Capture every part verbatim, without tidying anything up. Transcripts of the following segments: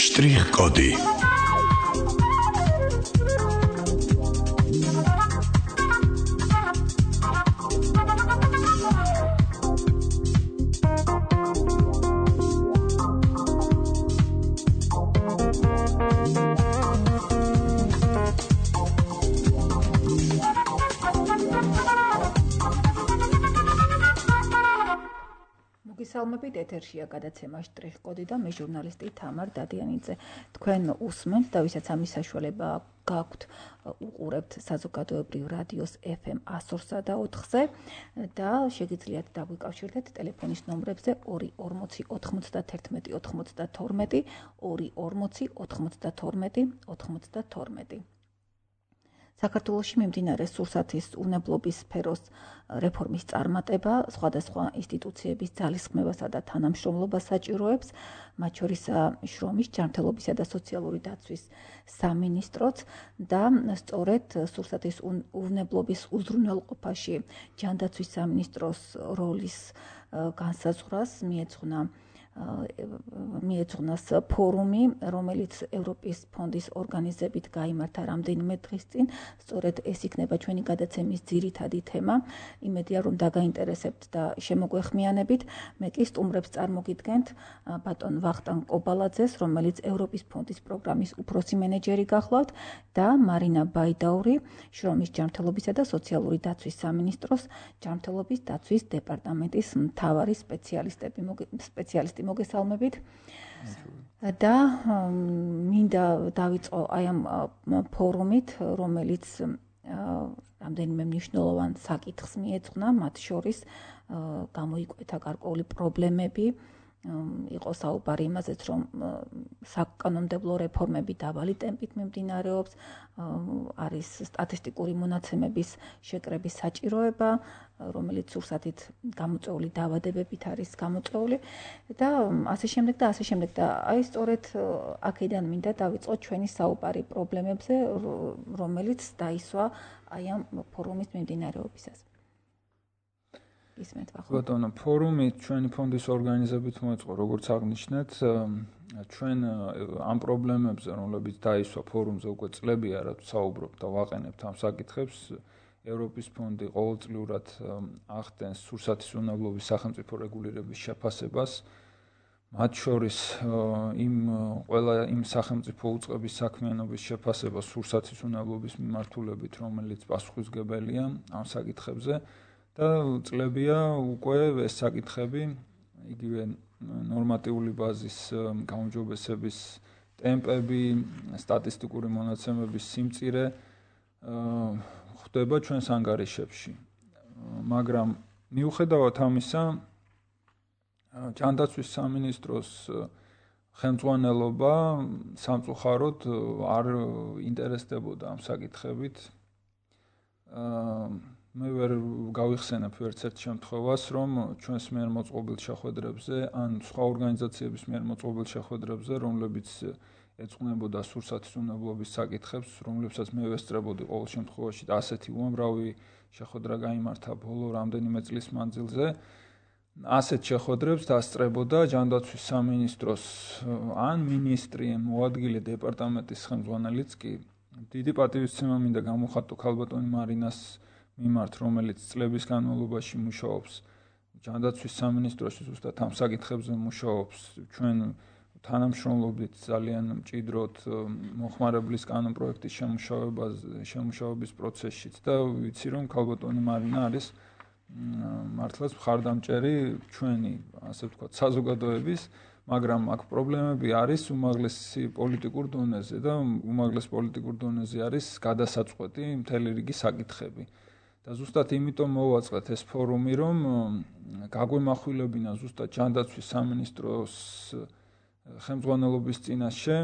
Շտրիխ-կոդի მოგესალმებით, ეთერშია გადაცემა შტრიხ-კოდი და მე ჟურნალისტი თამარ დადიანიძე. თქვენ უსმენთ და ვისაც ამის საშუალება გაქვთ, უყურებთ საზოგადოებრივ რადიოს ეფ ემ ასორსა და ოთხზე და შეგიძლიათ დაგვიკავშირდეთ ტელეფონის ნომრებზე ორი ორმოცი ოთხმოცდათერთმეტი ოთხმოცდათორმეტი, ორი ორმოცი ოთხმოცდათორმეტი ოთხმოცდათორმეტი. საქართველოში მიმდინარე სურსათის უვნებლობის სფეროს რეფორმის წარმატება სხვადასხვა ინსტიტუციების ძალისხმევასა და თანამშრომლობას საჭიროებს, მათ შორის შრომის, ჯანმრთელობისა და სოციალური დაცვის სამინისტროც და სწორედ სურსათის უვნებლობის უზრუნველყოფაში ჯანდაცვის სამინისტროს როლის განსაზღვრას მიეძღვნა მიეძღვნას ფორუმი, რომელიც ევროპის ფონდის ორგანიზებით გაიმართა რამდენიმე დღის წინ. სწორედ ეს იქნება ჩვენი გადაცემის ძირითადი თემა. იმედია, რომ დაგაინტერესებთ და შემოგვეხმიანებით. მე კი სტუმრებს წარმოგიდგენთ ბატონ ვახტანგ კობალაძეს, რომელიც ევროპის ფონდის პროგრამის უფროსი მენეჯერი გახლავთ და მარინა ბაიდაური, შრომის, ჯანმრთელობისა და სოციალური დაცვის სამინისტროს ჯანმრთელობის დაცვის დეპარტამენტის მთავარი სპეციალისტები სპეციალისტი მოგესალმებით და მინდა დავიწყო აი ამ ფორუმით, რომელიც რამდენიმე მნიშვნელოვან საკითხს მიეძღვნა, მათ შორის გამოიკვეთა გარკვეული პრობლემები, იყო საუბარი იმაზეც, რომ საკანონმდებლო რეფორმები დაბალი ტემპით მიმდინარეობს, არის სტატისტიკური მონაცემების შეკრების საჭიროება, რომელიც სურსათით გამოწვეული დაავადებებით არის გამოწვეული და ასე შემდეგ და ასე შემდეგ და აი სწორედ აქედან მინდა დავიწყოთ ჩვენი საუბარი პრობლემებზე, რომელიც დაისვა აი ამ ფორუმის მიმდინარეობისას. ისმენთ ვახო. ბატონო, ფორუმი ჩვენი ფონდის ორგანიზებით მოეწყო, როგორც აღნიშნეთ, ჩვენ ამ პრობლემებზე, რომლებიც დაისვა ფორუმზე უკვე წლებია, რაც საუბრობთ და ვაყენებთ ამ საკითხებს, ევროპის ფონდი ყოველწლიურად ახდენს სურსათის უვნებლობის სახელმწიფო რეგულირების შეფასებას, მათ შორის იმ ყველა იმ სახელმწიფო უწყების საქმიანობის შეფასება სურსათის უვნებლობის მიმართულებით, რომელიც პასუხისმგებელია ამ საკითხებზე და წლებია უკვე ეს საკითხები იგივე ნორმატიული ბაზის გაუმჯობესების ტემპები, სტატისტიკური მონაცემების სიმწირე ხდება ჩვენს ანგარიშებში. მაგრამ მიუხედავად ამისა, ჯანდაცვის სამინისტროს ხელმძღვანელობა სამწუხაროდ არ ინტერესდებოდა ამ საკითხებით. მე ვერ გავიხსენებ ვერცერთ შემთხვევას, რომ ჩვენს მიერ მოწყობილ შეხვედრებზე ან სხვა ორგანიზაციების მიერ მოწყობილ შეხვედრებზე, რომლებიც ეძღვნებოდა სურსათის უვნებლობის საკითხებს, რომლებსაც მე ვესწრებოდი ყოველ შემთხვევაში და ასეთი უამრავი შეხვედრა გაიმართა ბოლო რამდენიმე წლის მანძილზე. ასეთ შეხვედრებს დასწრებოდა ჯანდაცვის სამინისტროს ან მინისტრი, მოადგილე დეპარტამენტის ხელმძღვანელიც კი. დიდი პატივისცემა მინდა გამოვხატო ქალბატონი მარინას მიმართ, რომელიც წლების განმავლობაში მუშაობს ჯანდაცვის სამინისტროში, ზუსტად ამ საკითხებზე მუშაობს. ჩვენ თანამშრომლობით ძალიან მჭიდროდ მოხმარებლის კანონ პროექტის შემუშავებაზე, შემუშავების პროცესშიც და ვიცი, რომ ქალბატონი მარინა არის მართლაც მხარდამჭერი ჩვენი, ასე ვთქვათ, საზოგადოების, მაგრამ აქ პრობლემები არის უმაღლესი პოლიტიკურ დონეზე და უმაღლეს პოლიტიკურ დონეზე არის გადასაწყვეტი მთელი რიგი საკითხები. და ზუსტად იმიტომ მოვაწყეთ ეს ფორუმი, რომ გაგვემახვილებინა ზუსტად ჯანდაცვის სამინისტროს ხელმძღვანელობის წინაშე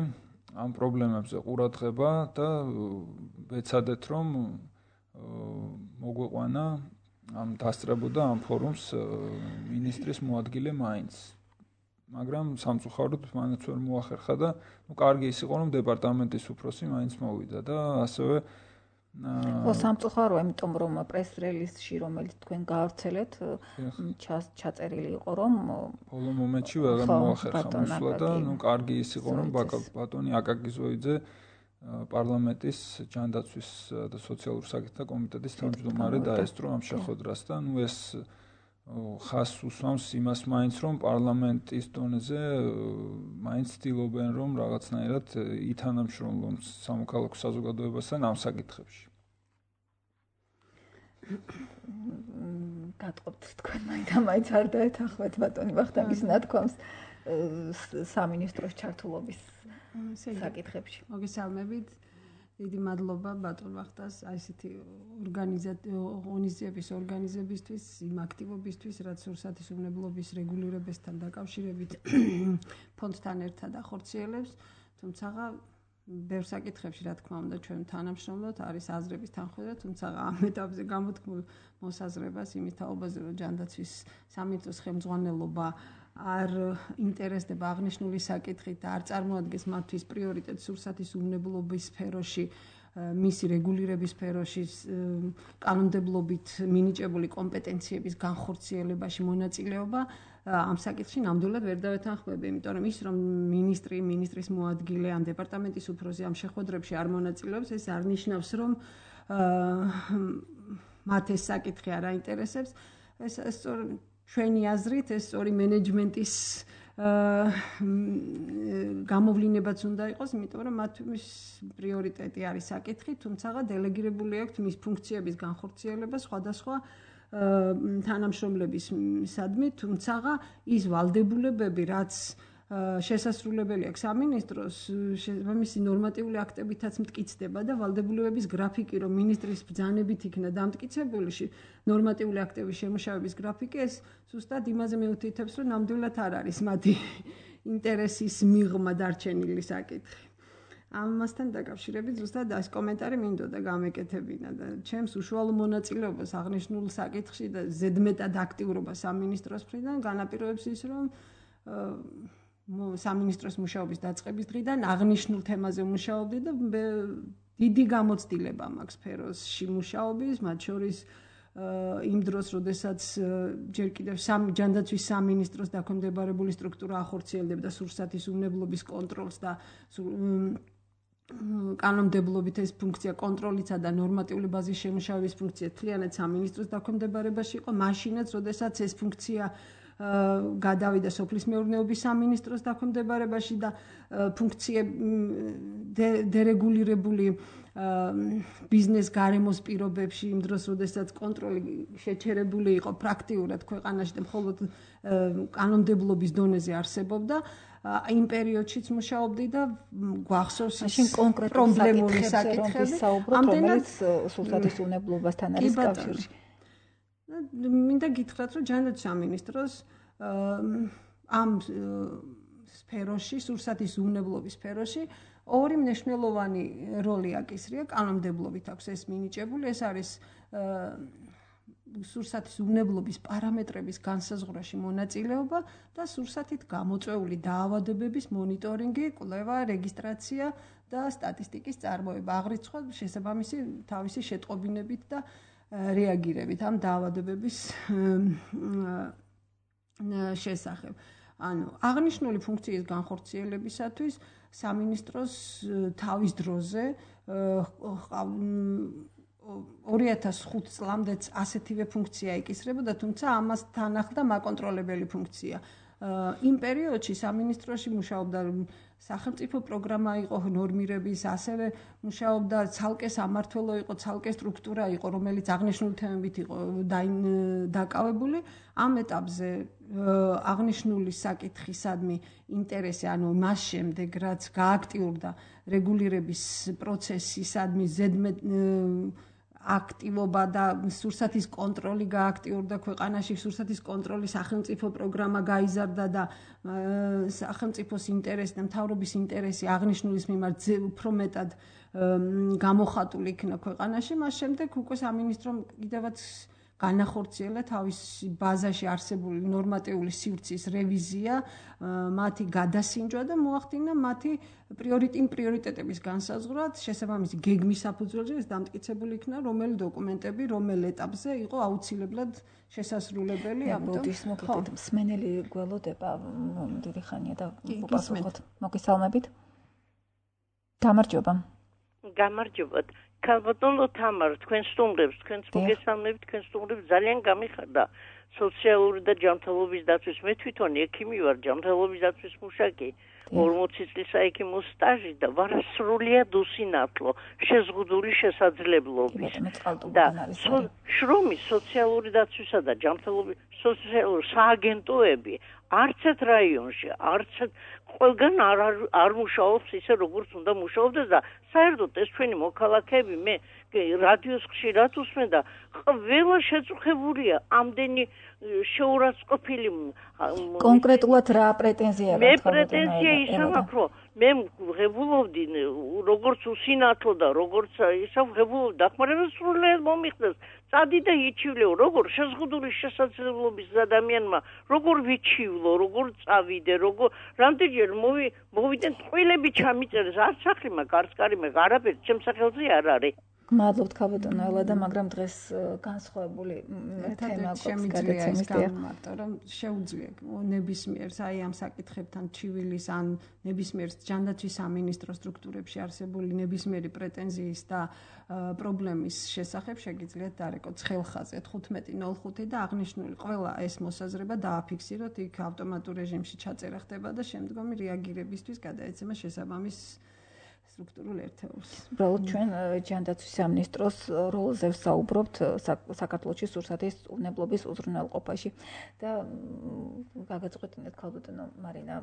ამ პრობლემებზე ყურადღება და ვეცადეთ, რომ მოგვეყვანა ამ დასწრებოდა ამ ფორუმს მინისტრის მოადგილე მაინც. მაგრამ სამწუხაროდ მანაც ვერ მოახერხა და ნუ კარგი ის იყო, რომ დეპარტამენტის უფროსი მაინც მოვიდა და ასევე ხო, სამწუხაროა, იმიტომ რომ პრეს-რელიზში, რომელიც თქვენ გაავრცელეთ, ჩაწერილი იყო, რომ ბოლო მომენტში ვეღარ მოახერხა მოსვლა და ნუ კარგი ის იყო, რომ ბატონი აკაკი ზოიძე პარლამენტის ჯანდაცვის და სოციალურ საკითხთა კომიტეტის თავმჯდომარე დაესწრო ამ შეხვედრას და ნუ ეს ხას უსვამს იმას მაინც, რომ პარლამენტის დონეზე მაინც ცდილობენ, რომ რაღაცნაირად ითანამშრომლონ სამოქალაქო საზოგადოებასთან ამ საკითხებში. გატყობთ თქვენ მაინც არ დაეთანხმეთ ბატონი ვახტანგის ნათქვამს სამინისტროს ჩართულობის საკითხებში. მოგესალმებით. დიდი მადლობა ბატონ ვახტას აი ესეთი ორგანიზაციების ორგანიზებისთვის, იმ აქტივობისთვის, რაც სურსათის უნებლობის რეგულირებასთან დაკავშირებით ფონდთან ერთად ახორციელებს, თუმცა ბევრ საკითხებში, რა თქმა უნდა, ჩვენ თანამშრომლობთ, არის აზრების თანხმობა, თუმცა ამ ეტაპზე გამოთქმულ მოსაზრებას იმის თაობაზე, რომ ჯანდაცვის სამინისტროს ხელმძღვანელობა არ ინტერესდება აღნიშნული საკითხით და არ წარმოადგენს მათთვის პრიორიტეტს სურსათის უნებლობის სფეროში, მისი რეგულირების სფეროში, კანონმდებლობით მინიჭებული კომპეტენციების განხორციელებაში მონაწილეობა, ამ საკითხში ნამდვილად ვერ დავეთანხმები, იმიტომ რომ ის რომ მინისტრი, მინისტრის მოადგილე, ამ დეპარტამენტის უფროსი ამ შეხვედრებში არ მონაწილეობს, ეს არ ნიშნავს, რომ მათ ეს საკითხი არ აინტერესებს. ეს სწორ ჩვენი აზრით ეს სწორი მენეჯმენტის გამოვლინებაც უნდა იყოს, იმიტომ რომ მათთვის პრიორიტეტი არის საკითხი, თუმცა დელეგირებული აქვთ მის ფუნქციების განხორციელება სხვადასხვა თანამშრომლებისადმი, თუმცა ის ვალდებულებები, რაც შესასრულებელი აქვს სამინისტროს, შესაბამისი ნორმატიული აქტებითაც მტკიცდება და ვალდებულებების გრაფიკი, რომ მინისტრის ბრძანებით იქნა დამტკიცებული ნორმატიული აქტების შემუშავების გრაფიკი, ეს ზუსტად იმაზე მიუთითებს, რომ ნამდვილად არ არის მათი ინტერესის მიღმა დარჩენილი საკითხი. ამასთან დაკავშირებით ზუსტად ეს კომენტარი მინდოდა გამეკეთებინა და ჩემს უშუალო მონაწილეობას აღნიშნულ საკითხში და ზედმეტად აქტიურობას სამინისტროს მხრიდან განაპირობებს ის, რომ სამინისტროს მუშაობის დაწყების დღიდან აღნიშნულ თემაზე მუშაობდი და დიდი გამოცდილება მაქვს სფეროში მუშაობის, მათ შორის იმ დროს, როდესაც ჯერ კიდევ ჯანდაცვის სამინისტროს დაქვემდებარებული სტრუქტურა ახორციელებდა სურსათის უნებლობის კონტროლს და კანონმდებლობით ეს ფუნქცია კონტროლისა და ნორმატიული ბაზის შემუშავების ფუნქცია თლიანად სამინისტროს დაქვემდებარებაში იყო, მაშინაც, როდესაც ეს ფუნქცია გადავიდა სოფლის მეურნეობის სამინისტროს დაქვემდებარებაში და ფუნქციები დერეგულირებული ბიზნეს გარემოს პირობებში იმ დროს, როდესაც კონტროლი შეჩერებული იყო პრაქტიულად ქვეყანაში და მხოლოდ კანონმდებლობის დონეზე არსებობდა, იმ პერიოდშიც მუშაობდი და გვახსოვს მაშინ კონკრეტულ საკითხებზე საუბრობთ, რომელიც სურსათის უნებლობასთან არის კავშირში. მინდა გითხრათ, რომ ჯანდაცვის სამინისტროს ამ სფეროში, სურსათის უნებლობის სფეროში ორი მნიშვნელოვანი როლი აკისრია, კანონმდებლობით აქვს ეს მინიჭებული, ეს არის სურსათის უნებლობის პარამეტრების განსაზღვრაში მონაწილეობა და სურსათით გამოწვეული დაავადებების მონიტორინგი, კვლევა, რეგისტრაცია და სტატისტიკის წარმოება, აღრიცხვა შესაბამისი თავისი შეტყობინებით და რეაგირებით ამ დაავადებების შესახებ. ანუ აღნიშნული ფუნქციის განხორციელებისათვის სამინისტროს თავის დროზე ორი ათას ხუთი წლამდეც ასეთივე ფუნქცია ეკისრებოდა, თუმცა ამასთან ახლდა მაკონტროლებელი ფუნქცია. იმ პერიოდში სამინისტროში მუშაობდა სახელმწიფო პროგრამა იყო ნორმირების, ასევე მუშაობდა ცალკე სამმართველო იყო, ცალკე სტრუქტურა იყო, რომელიც აღნიშნული თემებით იყო დაკავებული. ამ ეტაპზე აღნიშნული საკითხისადმი ინტერესი, ანუ მას შემდეგ, რაც გააქტიურდა რეგულირების პროცესისადმი ზედმეტ აქტივობა და სურსათის კონტროლი გააქტიურდა ქვეყანაში, სურსათის კონტროლის სახელმწიფო პროგრამა გაიზარდა და სახელმწიფოს ინტერესი და მთავრობის ინტერესი აღნიშნულის მიმართ უფრო მეტად გამოხატული იქნა ქვეყანაში. მას შემდეგ უკვე სამინისტრომ კიდევაც განახორციელა თავის ბაზაში არსებული ნორმატიული სივრცის რევიზია, მათი გადასინჯვა და მოახდინა მათი პრიორიტეტ პრიორიტეტების განსაზღვრა, შესაბამისი გეგმის საფუძველზე ეს დამტკიცებული იქნა, რომელი დოკუმენტები რომელ ეტაპზე იყო აუცილებლად შესასრულებელი. ამიტომ მოგეთ მსმენელი გველოდება დიდი ხანია და უპასუხოთ. მოგესალმებით. გამარჯობა. გამარჯობათ. ქალბატონო თამარ, თქვენ სტუმრებს, თქვენს მოგესალმებით, თქვენ სტუმრებს ძალიან გამიხარდა სოციალური და ჯანმრთელობის დაცვის. მე თვითონ ექიმი ვარ, ჯანმრთელობის დაცვის მუშაკი. ორმოცი წლის საექიმო სტაჟი და ვარ სრულიად უსინათლო, შეზღუდული შესაძლებლობის. და შრომის სოციალური დაცვისა და ჯანმრთელობის სოციალური სააგენტოები არც ერთ რაიონში, არც ერთ ყველგან არ არ მუშაობს ისე როგორც უნდა მუშაობდეს და საერთოდ ეს ჩვენი მოქალაქეები მე რადიოს ხშირად ვუსმენ და ყველა შეწუხებულია ამდენი შეურაცხყოფილი. კონკრეტულად რა პრეტენზია აქვს? მე პრეტენზია ის აქვს, რომ მე ვღებულობდი როგორც უსინათლო და როგორც ისა ვღებულობდი დახმარებას სრულიად მომიხდეს. წადი და იჩივლეო, როგორ შეზღუდული შესაძლებლობის ადამიანმა, როგორ ვიჩივლო, როგორ წავიდე, როგორ რამდენჯერ მოვიდენ ტყუილები ჩამიწერეს, არც სახლი მაქვს, არც კარი მაქვს, არაფერი ჩემს სახელზე არ არის. მადლობთ ქალბატონო ელადა, მაგრამ დღეს განსხვავებული თემა გვაქვს გადაცემის გამარტო, რომ შეუძლია ნებისმიერს აი ამ საკითხებთან ჩივილის ან ნებისმიერ ჯანდაცვის სამინისტრო სტრუქტურებში არსებული ნებისმიერი პრეტენზიის და პრობლემის შესახებ შეგიძლიათ დარეკოთ ხელხაზე თხუთმეტი ნოლ ხუთი და აღნიშნული ყველა ეს მოსაზრება დააფიქსიროთ, იქ ავტომატურ რეჟიმში ჩაწერა ხდება და შემდგომი რეაგირებისთვის გადაეცემა შესაბამის სტრუქტურულ ერთეულს. უბრალოდ ჩვენ ჯანდაცვის სამინისტროს როლზე ვსაუბრობთ საქართველოში სურსათის უნებლობის უზრუნველყოფაში და გაგაწყვეტინეთ ქალბატონო მარინა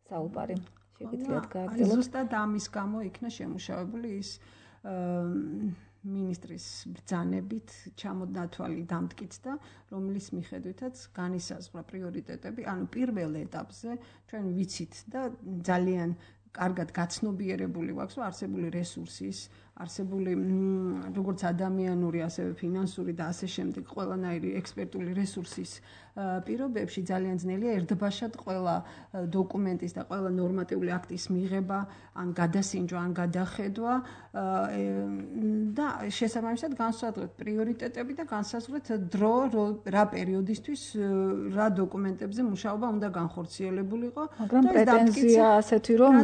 საუბარი. შეგიძლიათ გააგრძელოთ. ზუსტად ამის გამო იქნა შემუშავებული ის მინისტრის ბრძანებით ჩამოდათვალი დამტკიცდა, რომლის მიხედვითაც განისაზღვრა პრიორიტეტები, ანუ პირველ ეტაპზე ჩვენ ვიცით და ძალიან კარგად გაცნობიერებული ვაქვს, რომ არსებული რესურსის, არსებული როგორც ადამიანური, ასევე ფინანსური და ასე შემდეგ ყველანაირი ექსპერტული რესურსის პირობებში ძალიან ძნელია ერთბაშად ყველა დოკუმენტის და ყველა ნორმატიული აქტის მიღება, ან გადასინჯვა, ან გადახედვა და შესაბამისად განსაზღვრეთ პრიორიტეტები და განსაზღვრეთ დრო რა პერიოდისთვის რა დოკუმენტებზე მუშაობა უნდა განხორციელებულიყო. მაგრამ პრეტენზია ასეთი რომ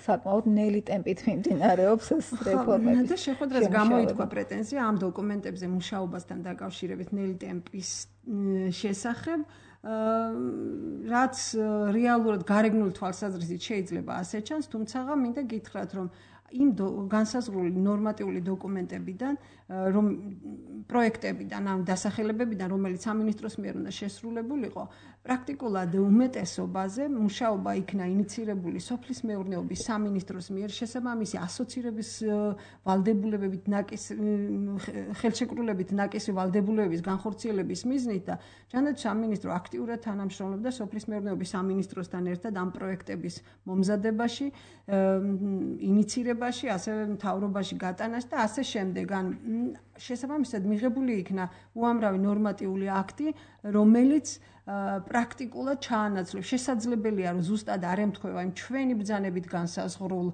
საკმაოდ ნელი ტემპით მიმდინარეობს ეს რეფორმები. და შეხვედრას გამოითქვა პრეტენზია ამ დოკუმენტებზე მუშაობასთან დაკავშირებით ნელი ტემპის შესახებ, რაც რეალურად გარეგნული თვალსაზრისით შეიძლება ასე ჩანს, თუმცა მინდა გითხრათ, რომ იმ განსაზღვრული ნორმატიული დოკუმენტებიდან, რომ პროექტებიდან, ან დასახელებებიდან, რომელიც სამინისტროს მიერ უნდა შესრულებულიყო, პრაქტიკულად უმეტესობაზე მუშაობა იქნა ინიცირებული სოფლის მეურნეობის სამინისტროს მიერ შესაბამისი ასოცირების ვალდებულებებით ნაკისი ხელშეკრულებით ნაკისი ვალდებულებების განხორციელების მიზნით და ჯანდაცვის სამინისტრო აქტიურად თანამშრომლობდა სოფლის მეურნეობის სამინისტროსთან ერთად ამ პროექტების მომზადებაში, ინიცირებაში, ასევე მთავრობაში გატანაში და ასე შემდეგ. ან შესაბამისად მიღებული იქნა უამრავი ნორმატიული აქტი, რომელიც პრაქტიკულად ჩაანაცვლებს. შესაძლებელია, რომ ზუსტად არ ემთხვევა იმ ჩვენი ბრძანებით განსაზღვრულ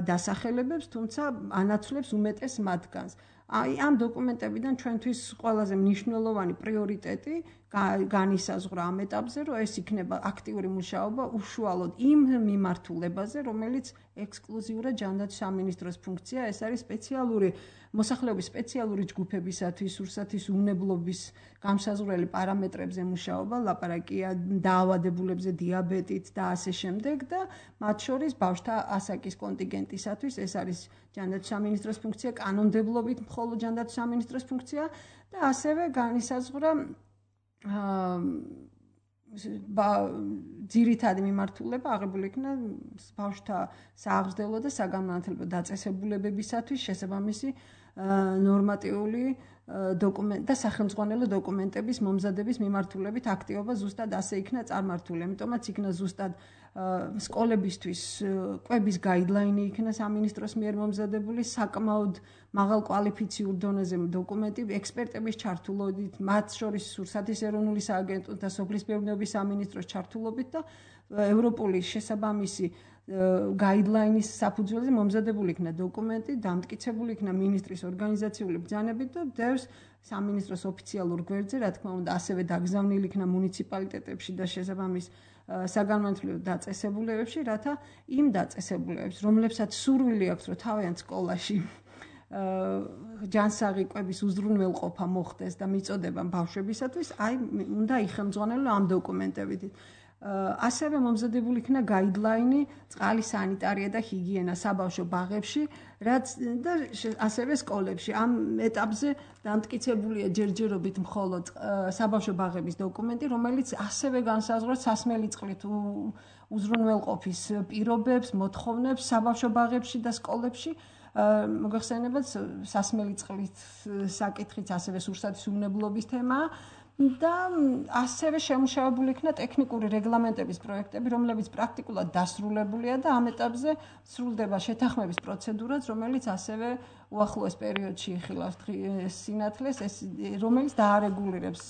დასახელებებს, თუმცა ანაცვლებს უმეტეს მათგანს. აი ამ დოკუმენტებიდან ჩვენთვის ყველაზე მნიშვნელოვანი პრიორიტეტი განისაზღვრა ამ ეტაპზე, რომ ეს იქნება აქტიური მუშაობა უშუალოდ იმ მიმართულებაზე, რომელიც ექსკლუზიურად ჯანდაცვის სამინისტროს ფუნქცია, ეს არის სპეციალური მოსახლეობის სპეციალური ჯგუფებისათვის სურსათის უნებლობის გამსაზღვრელი პარამეტრებზე მუშაობა, ლაპარაკია დაავადებულებზე, დიაბეტით და ასე შემდეგ და მათ შორის ბავშვთა ასაკის კონტინგენტისათვის ეს არის ჯანდაცვის სამინისტროს ფუნქცია, კანონმდებლობით მხოლოდ ჯანდაცვის სამინისტროს ფუნქცია და ასევე განისაზღვრა ძირითადი მიმართულება აღებული იქნა ბავშვთა სააღრდელო და საგანმანათლებლო დაწესებულებებისათვის შესაბამისი ნორმატიული დოკუმენტ და სახელმძღვანელო დოკუმენტების მომზადების მიმართულებით აქტივობა ზუსტად ასე იქნა წარმართული. ამიტომაც იქნა ზუსტად სკოლებისთვის კვების გაიდლაინი იქნა სამინისტროს მიერ მომზადებული, საკმაოდ მაღალ კვალიფიციურ დონეზე დოკუმენტი, ექსპერტების ჩართულობით, მათ შორის სურსათის ეროვნული სააგენტოს და სოფლის მეურნეობის სამინისტროს ჩართულობით და ევროპული შესაბამისი გაიდლაინის საფუძველზე მომზადებული იქნა დოკუმენტი, დამტკიცებული იქნა მინისტრის ორგანიზაციული ბრძანებით და დევს სამინისტროს ოფიციალურ გვერდზე, რა თქმა უნდა, ასევე დაგზავნილი იქნა მუნიციპალიტეტებში და შესაბამის საგანმანათლებლო დაწესებულებებში, რათა იმ დაწესებულებებს, რომლებსაც სურვილი აქვს, რომ თავიანთ სკოლაში ჯანსაღი კვების უზრუნველყოფა მოხდეს და მიწოდება ბავშვებისათვის, აი უნდა იხელმძღვანელო ამ დოკუმენტებით. ასევე მომზადებული იქნა გაიდლაინი წყალი სანიტარია და ჰიგიენა საბავშვო ბაღებში, რაც და ასევე სკოლებში. ამ ეტაპზე დამტკიცებულია ჯერჯერობით მხოლოდ საბავშვო ბაღების დოკუმენტი, რომელიც ასევე განსაზღვრავს სასმელი წყლით უზრუნველყოფის პირობებს, მოთხოვნებს საბავშვო ბაღებში და სკოლებში. მოგეხსენებათ, სასმელი წყლით საკითხიც ასევე სურსათის უვნებლობის თემაა. და ასევე შემუშავებული იქნა ტექნიკური რეგლამენტების პროექტები, რომლებიც პრაქტიკულად დასრულებულია და ამ ეტაპზე სრულდება შეთანხმების პროცედურაც, რომელიც ასევე უახლოეს პერიოდში იხილავს სინათლეს, ეს რომელიც დაარეგულირებს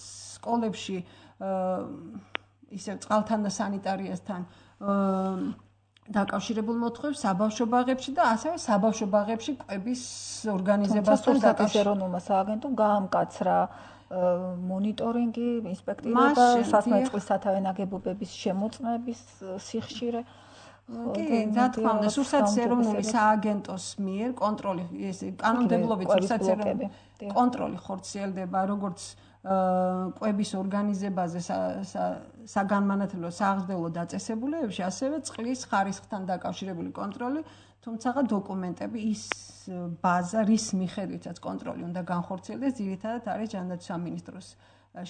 სკოლებში ისევ წყალთან და სანიტარიასთან დაკავშირებულ მოთხოვნებს საბავშვო ბაღებში და ასევე საბავშვო ბაღებში კვების ორგანიზებასთან დაკავშირებით ეროვნულმა სააგენტომ გაამკაცრა მონიტორინგი, ინსპექტირება, სასმელი წყლის სათავე ნაგებობების შემოწმების სიხშირე. კი, რა თქმა უნდა, სურსათის ეროვნული სააგენტოს მიერ კონტროლი, ეს კანონმდებლობით სურსათის ეროვნული კონტროლი ხორციელდება, როგორც კვების ორგანიზებაზე საგანმანათლებლო სააღრდელო დაწესებულებებში, ასევე წყლის ხარისხთან დაკავშირებული კონტროლი, თუმცა დოკუმენტები ის ბაზა, რის მიხედვითაც კონტროლი უნდა განხორციელდეს, ძირითადად არის ჯანდაცვის სამინისტროს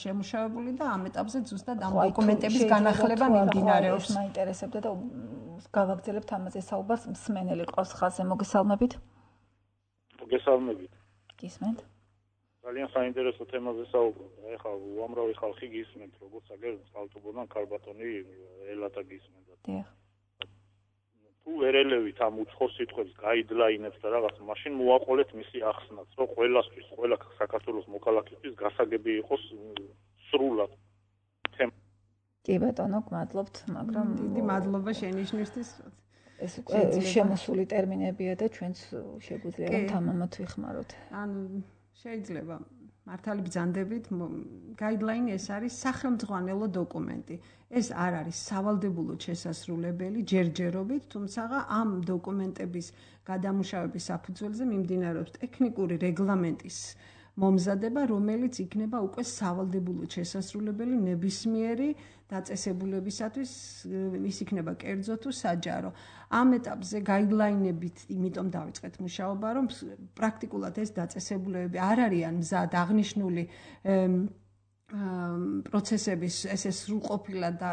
შემუშავებული და ამ ეტაპზე ზუსტად ამ დოკუმენტების განახლება მიმდინარეობს. ეს მაინტერესებდა და გავაგრძელებთ ამაზე საუბარს. მსმენელი ყავს ხაზზე, მოგესალმებით. მოგესალმებით. გისმენთ. ძალიან საინტერესო თემაზე საუბრობთ. ეხლა უამრავი ხალხი გისმენთ, როგორც აგერ წყალტუბოდან ქარბატონი ელათა გისმენთ. დიახ. თუ ერელევით ამ უცხოს სიტყვებს, გაიდლაინებს და რაღაც, მაშინ მოაყოლეთ მისი ახსნაც, რომ ყველასთვის, ყველა საქართველოს მოქალაქისთვის გასაგები იყოს სრულად. კი ბატონო, გმადლობთ, მაგრამ დიდი მადლობა შენიშვნისთვის. ეს შემოსული ტერმინებია და ჩვენც შეგვიძლია რომ თამამად ვიხმაროთ. ანუ შეიძლება მართალი ბრძანდებით გაიდლაინი ეს არის სახელმძღვანელო დოკუმენტი. ეს არ არის სავალდებულოდ შესასრულებელი ჯერჯერობით, თუმცა ამ დოკუმენტების გადამუშავების საფუძველზე მიმდინარეობს ტექნიკური რეგლამენტის მომზადება, რომელიც იქნება უკვე სავალდებულოდ შესასრულებელი ნებისმიერი დაწესებულებისათვის, ის იქნება კერძო თუ საჯარო. ამ ეტაპზე გაიდლაინებით, იმიტომ დავიწყეთ მუშაობა, რომ პრაქტიკულად ეს დაწესებულებები არ არიან მზად აღნიშნული პროცესების ესე სრულყოფილად და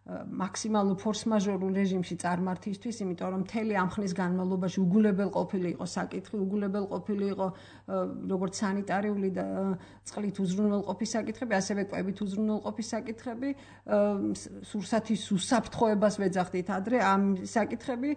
მაქსიმალურ ფორს-მაჟორულ რეჟიმში წარმართისთვის, იმიტომ რომ მთელი ამ ხნის განმავლობაში უგულებელ ყოფილი იყო საკითხი, უგულებელ ყოფილი იყო როგორც სანიტარიული და წყლით უზრუნველყოფის საკითხები, ასევე კვებით უზრუნველყოფის საკითხები, სურსათის უსაფრთხოებას ვეძახდით ადრე ამ საკითხები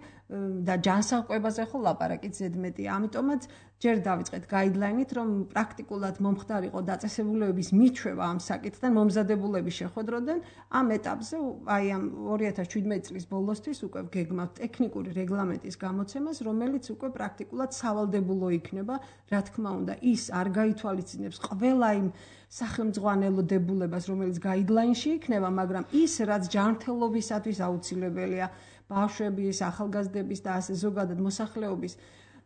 და ჯანსაღ კვებაზე ხო ლაპარაკით ზედმეტია. ამიტომაც ჯერ დავიწყეთ გაიდლაინით, რომ პრაქტიკულად მომხდარიყო დაწესებულებების მიჩვევა ამ საკითხთან, მომზადებულების შეხვედროდან ამ ეტაპზე აი ამ ორი ათას შვიდმეტი წლის ბოლოსთვის უკვე გეგმავთ ტექნიკური რეგლამენტის გამოცემას, რომელიც უკვე პრაქტიკულად სავალდებულო იქნება, რა თქმა უნდა, ის არ გაითვალისწინებს ყველა იმ სახელმძღვანელო დებულებას, რომელიც გაიდლაინში იქნება, მაგრამ ის რაც ჯანმრთელობისათვის აუცილებელია, ბავშვების, ახალგაზრდების და ასე ზოგადად მოსახლეობის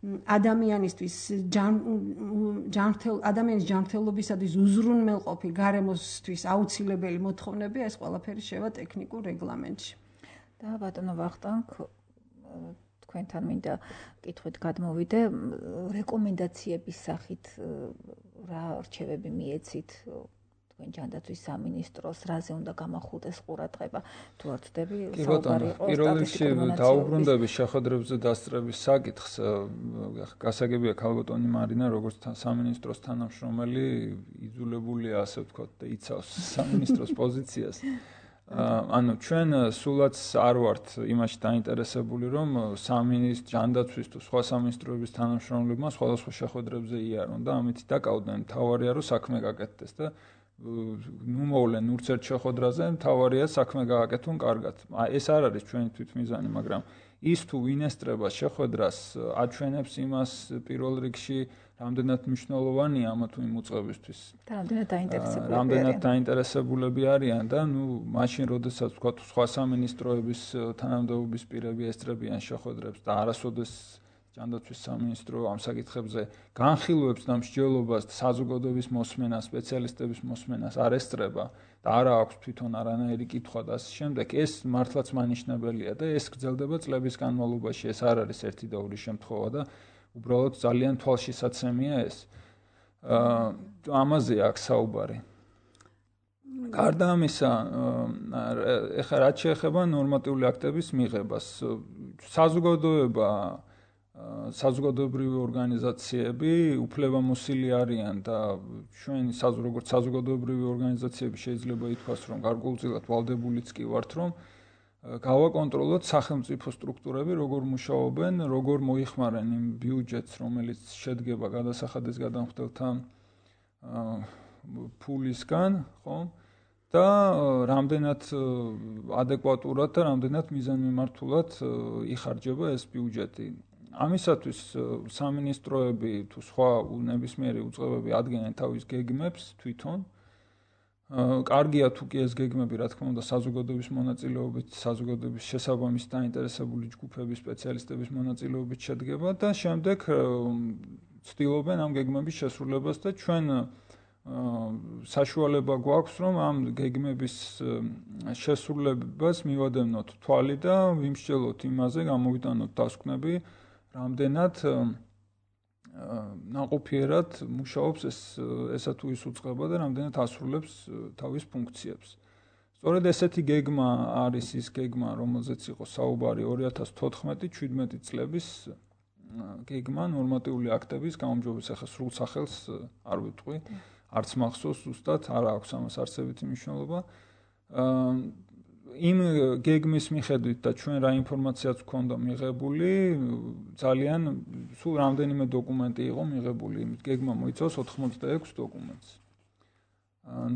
ადამიანისთვის ჯანმრთელ ადამიანის ჯანმრთელობისათვის უზრუნველყოფი გარემოსთვის აუცილებელი მოთხოვნებია, ეს ყველაფერი შევა ტექნიკურ რეგლამენტში. და ბატონო ვახტანგ, თქვენთან მინდა კითხვით გადმოვიდე, რეკომენდაციების სახით რა რჩევები მიეცით თქვენ ჯანდაცვის სამინისტროს, რაზე უნდა გამახულდეს ყურადღება, თუ არ ვწდები, საუბარი იყო პირველ რიგში დაუბრუნდები შეხვედრებზე დასწრების საკითხს, გასაგებია ქალბატონი მარინა, როგორც სამინისტროს თანამშრომელი, იძულებულია, ასე ვთქვათ, და იცავს სამინისტროს პოზიციას. ანუ ჩვენ სულაც არ ვართ იმაში დაინტერესებული, რომ სამინისტრო ჯანდაცვის თუ სხვა სამინისტროების თანამშრომლებმა სხვადასხვა შეხვედრებზე იარონ და ამით დაკავდნენ. თავარია რომ საქმე გაკეთდეს და ნუ მოვლენ urts ერთ შეხვედრაზე, თავარია საქმე გააკეთონ კარგად. ეს არ არის ჩვენი თვითმიზანი, მაგრამ ის თუ ვინესტრება შეხვედრას აჩვენებს იმას პირველ რიგში რამდენად მნიშვნელოვანია ამა თუ იმ უწყებისთვის. და რამდენად დაინტერესებულები რამდენად დაინტერესებულები არიან და ნუ მაშინ როდესაც თქვა სხვა სამინისტროების თანამდებობის პირები ესწრებიან შეხვედრებს და არასოდეს ჯანდაცვის სამინისტრო ამ საკითხებზე განხილვებს და მსჯელობას საზოგადოების მოსმენას, სპეციალისტების მოსმენას არ ესწრება და არა აქვს თვითონ არანაირი კითხვა და ასე შემდეგ, ეს მართლაც მანიშნებელია და ეს გრძელდება წლების განმავლობაში. ეს არ არის ერთი და ორი შემთხვევა და უბრალოდ ძალიან თვალშისაცემია ეს. აა ამაზე აქვს საუბარი. გარდა ამისა, ეხლა რაც შეეხება ნორმატიული აქტების მიღებას, საზოგადოება საზოგადოებრივი ორგანიზაციები უფლებამოსილი არიან და ჩვენ როგორც საზოგადოებრივი ორგანიზაციები შეიძლება ითქვას, რომ გარკვეულწილად ვალდებულიც კი ვართ, რომ გავაკონტროლოთ სახელმწიფო სტრუქტურები, როგორ მუშაობენ, როგორ მოიხმარენ იმ ბიუჯეტს, რომელიც შედგება გადასახადის გადამხდელთა ფულისგან, ხო? და რამდენად ადეკვატურად და რამდენად მიზანმიმართულად იხარჯება ეს ბიუჯეტი. ამისათვის სამინისტროები თუ სხვა ნებისმიერი უწყებები ადგენენ თავის გეგმებს თვითონ. კარგია თუ კი ეს გეგმები, რა თქმა უნდა, საზოგადოების მონაწილეობით, საზოგადოების შესაბამის დაინტერესებული ჯგუფების სპეციალისტების მონაწილეობით შედგება და შემდეგ ცდილობენ ამ გეგმების შესრულებას და ჩვენ საშუალება გვაქვს, რომ ამ გეგმების შესრულებას მივადევნოთ თვალი და ვიმსჯელოთ იმაზე, გამოვიტანოთ დასკვნები, რამდენად ნაყოფიერად მუშაობს ეს ესა თუ ის უწყება და რამდენად ასრულებს თავის ფუნქციებს. სწორედ ესეთი გეგმა არის ის გეგმა, რომელზეც იყო საუბარი ორი ათას თოთხმეტი შვიდმეტი წლების გეგმა ნორმატიული აქტების გაუმჯობესების. ახლა სრულ სახელს არ ვიტყვი, არც მახსოვს ზუსტად, არ აქვს ამას არსებითი მნიშვნელობა. იმ გეგმის მიხედვით და ჩვენ რა ინფორმაციაც გვქონდა მიღებული, ძალიან სულ რამდენიმე დოკუმენტი იყო მიღებული. გეგმა მოიცავს ოთხმოცდაექვს დოკუმენტს.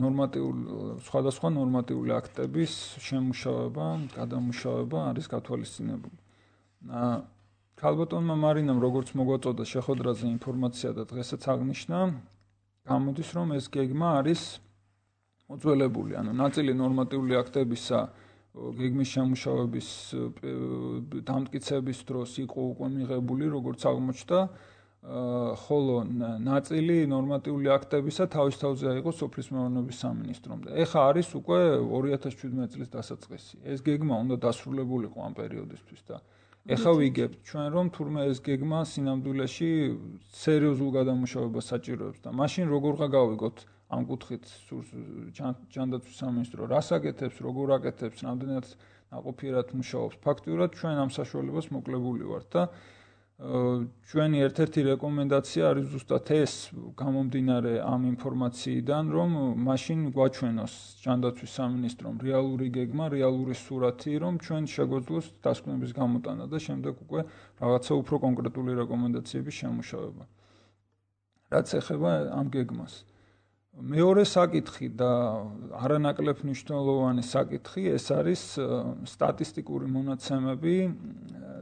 ნორმატიული სხვადასხვა ნორმატიული აქტების შემუშავება, გადამუშავება არის გათვალისწინებული. ქალბატონმა მარინამ როგორც მოგვაწოდა შეხვედრაზე ინფორმაცია და დღესაც აღნიშნა, გამოდის რომ ეს გეგმა არის მოძველებული, ანუ ნაწილი ნორმატიული აქტებისა გეგმის შემუშავების დამტკიცების დროს იყო უკვე მიღებული, როგორც აღმოჩნდა, ხოლო ნაწილი ნორმატიული აქტებისა თავის თავზე აიღო სოფლის მეურნეობის სამინისტრომ და ეხა არის უკვე ორი ათას შვიდმეტი წლის დასაწყისი. ეს გეგმა უნდა დასრულებულიყო ამ პერიოდისთვის და ეხა ვიგებთ ჩვენ, რომ თურმე ეს გეგმა სინამდვილეში სერიოზულ გადამუშავებას საჭიროებს და მაშინ როგორღა გავიგოთ ამ კუთხით ჯანდაცვის სამინისტრო რას აკეთებს, როგორ აკეთებს, რამდენად ნაყოფიერად მუშაობს. ფაქტიურად ჩვენ ამ საშუალებას მოკლებული ვართ და ჩვენი ერთ-ერთი რეკომენდაცია არის ზუსტად ეს, გამომდინარე ამ ინფორმაციიდან, რომ მაშინ გვაჩვენოს ჯანდაცვის სამინისტრომ რეალური გეგმა, რეალური სურათი, რომ ჩვენ შეგვეძლოს დასკვნების გამოტანა და შემდეგ უკვე რაღაცა უფრო კონკრეტული რეკომენდაციების შემუშავება. რაც ეხება ამ გეგმას. მეორე საკითხი და არანაკლებ მნიშვნელოვანი საკითხი ეს არის სტატისტიკური მონაცემები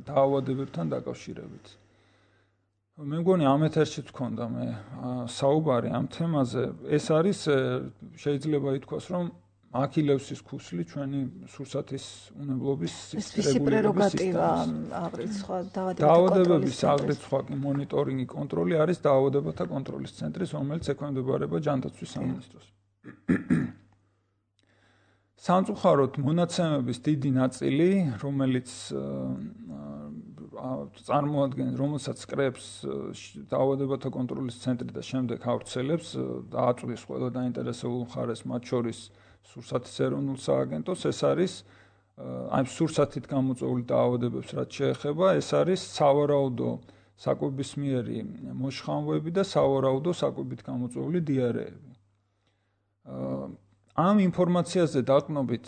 დაავადებებთან დაკავშირებით. მე მგონი ამ ეთერშიც ვქონდა მე საუბარი ამ თემაზე. ეს არის შეიძლება ითქვას, რომ აქილევსის ქუსლი ჩვენი სურსათის უნებლობის რეგულირება აღრიცხვა დაავადებების აღრიცხვა მონიტორინგი კონტროლი არის დაავადებათა კონტროლის ცენტრის, რომელიც ექვემდებარება ჯანდაცვის სამინისტროს. სამწუხაროდ მონაცემების დიდი ნაწილი, რომელიც წარმოადგენს, რომელსაც კრებს დაავადებათა კონტროლის ცენტრი და შემდეგ ავრცელებს და აწვდის ყველა დაინტერესებულ მხარეს, მათ შორის სურსათის ეროვნულ სააგენტოს, ეს არის აი სურსათით გამოწვეული დაავადებებს რაც შეეხება, ეს არის სავარაუდო საკვებისმიერი მოშხამვები და სავარაუდო საკვებით გამოწვეული დიარეები. ამ ინფორმაციაზე დაყრდნობით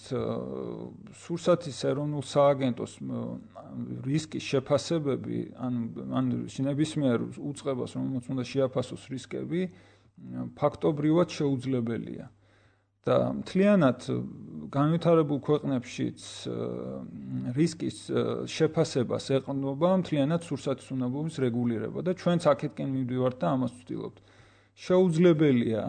სურსათის ეროვნულ სააგენტოს რისკის შეფასებები ან ან ნებისმიერ უწყებას, რომელსაც უნდა შეაფასოს რისკები, ფაქტობრივად შეუძლებელია. და მთლიანად განვითარებულ ქვეყნებშიც რისკის შეფასებას ეყრდნობა მთლიანად სურსათის უნებლობის რეგულირება და ჩვენც აქეთკენ მივდივართ და ამას ვცდილობთ. შეუძლებელია,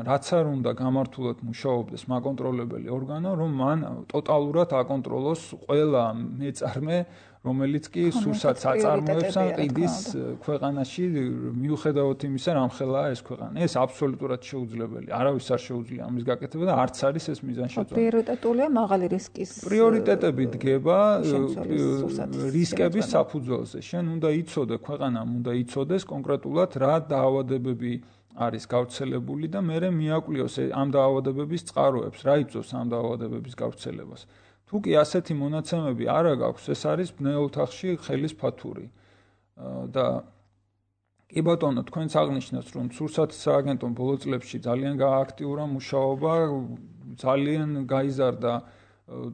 რაც არ უნდა გამართულად მუშაობდეს მაკონტროლებელი ორგანო, რომ მან ტოტალურად აკონტროლოს ყველა მეწარმე, რომელიც კი სურსათს აწარმოებს ან ყიდის ქვეყანაში, მიუხედავად იმისა, რამხელაა ეს ქვეყანა. ეს აბსოლუტურად შეუძლებელია. არავის არ შეუძლია ამის გაკეთება და არც არის ეს მიზანშეწონილი. პრიორიტეტულია მაღალი რისკის პრიორიტეტები დგება რისკების საფუძველზე. შენ უნდა იცოდე, ქვეყანამ უნდა იცოდეს კონკრეტულად რა დაავადებები არის გავრცელებული და მერე მიაკვლიოს ამ დაავადებების წყაროებს, რა იწვევს ამ დაავადებების გავრცელებას. თუ კი ასეთი მონაცემები არ აქვს, ეს არის ბნელ ოთახში ხელის ფათური. და კი ბატონო, თქვენც აღნიშნეთ, რომ სურსათის სააგენტომ ბოლო წლებში ძალიან გააქტიურა მუშაობა, ძალიან გაიზარდა